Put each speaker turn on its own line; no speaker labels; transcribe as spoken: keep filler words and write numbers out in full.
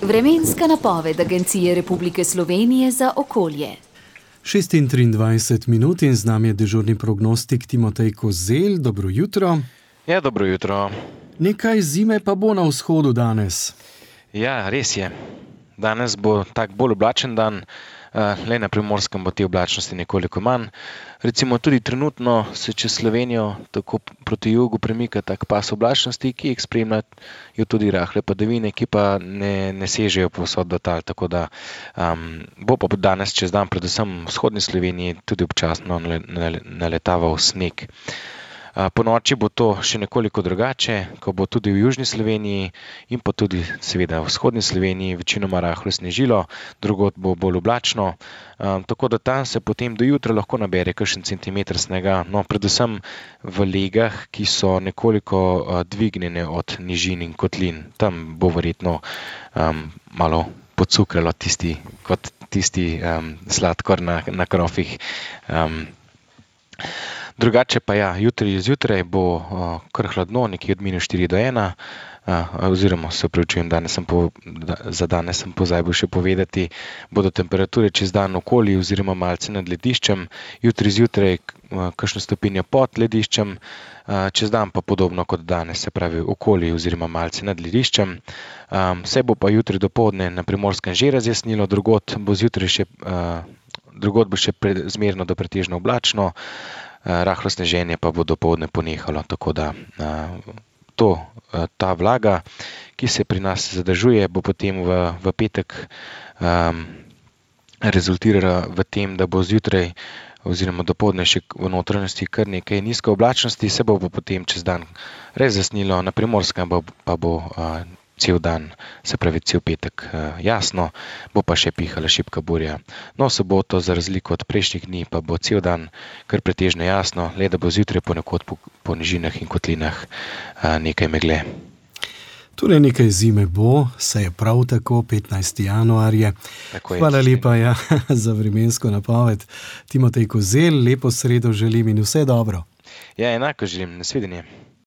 Vremenska napoved Agencije Republike Slovenije za okolje.
šest in triindvajset minut in z nami je dežurni prognostik Timotej Kozelj. Dobro jutro.
Ja, dobro jutro.
Nekaj zime pa bo na vzhodu danes.
Ja, res je. Danes bo tak bolj oblačen dan, le na Primorskem bo te oblačnosti nekoliko manj. Recimo tudi trenutno se čez Slovenijo tako proti jugu premika tak pas oblačnosti, ki jih spremljajo tudi rahle padavine, ki pa ne, ne sežejo povsod do tal, tako da um, bo pa danes čez dan predvsem v vzhodni Sloveniji tudi občasno naletaval sneg. Po noči bo to še nekoliko drugače, ko bo tudi v južni Sloveniji in pa tudi seveda v vzhodni Sloveniji večinoma rahlo snežilo, drugod bo bolj oblačno, tako da tam se potem do jutra lahko nabere kakšen centimeter snega, no predvsem v legah, ki so nekoliko dvignjene od nižin in kotlin. Tam bo verjetno um, malo pocukralo tisti, kot tisti um, sladkor na, na krofih. Um, Drugače pa ja, jutri zjutraj bo uh, kar hladno, nekje od minus štiri do ena, uh, oziroma se opravičujem, danes sem po, da, za danes sem pozabil še povedati, bodo temperature čez dan okoli oziroma malce nad lediščem, jutri zjutraj uh, kakšno stopinjo pod lediščem, uh, čez dan pa podobno kot danes, se pravi okoli oziroma malce nad lediščem. Um, se bo pa jutri dopoldne na Primorskem že razjasnilo, drugod bo zjutraj še, uh, drugod bo še pre, zmerno do pretežno oblačno, rahlo sneženje pa bo dopoldne ponehalo, tako da to, ta vlaga, ki se pri nas zadržuje, bo potem v, v petek um, rezultirala v tem, da bo zjutraj oziroma dopoldne še v notranjosti kar nekaj nizke oblačnosti, se bo potem čez dan razjasnilo, na Primorskem pa bo uh, cel dan, se pravi cel petek uh, jasno, bo pa še pihala šibka burja. No, soboto za razliko od prejšnjih dni pa bo cel dan kar pretežno jasno, le da bo zjutraj ponekod po, po nižinah in kotlinah uh, nekaj megle.
Torej nekaj zime bo, se je prav tako, petnajsti januar je.
Tako je.
Hvala lepa ja, za vremensko napoved. Timotej Kozelj, lepo sredo želim in vse dobro.
Ja, enako želim, nasvidenje.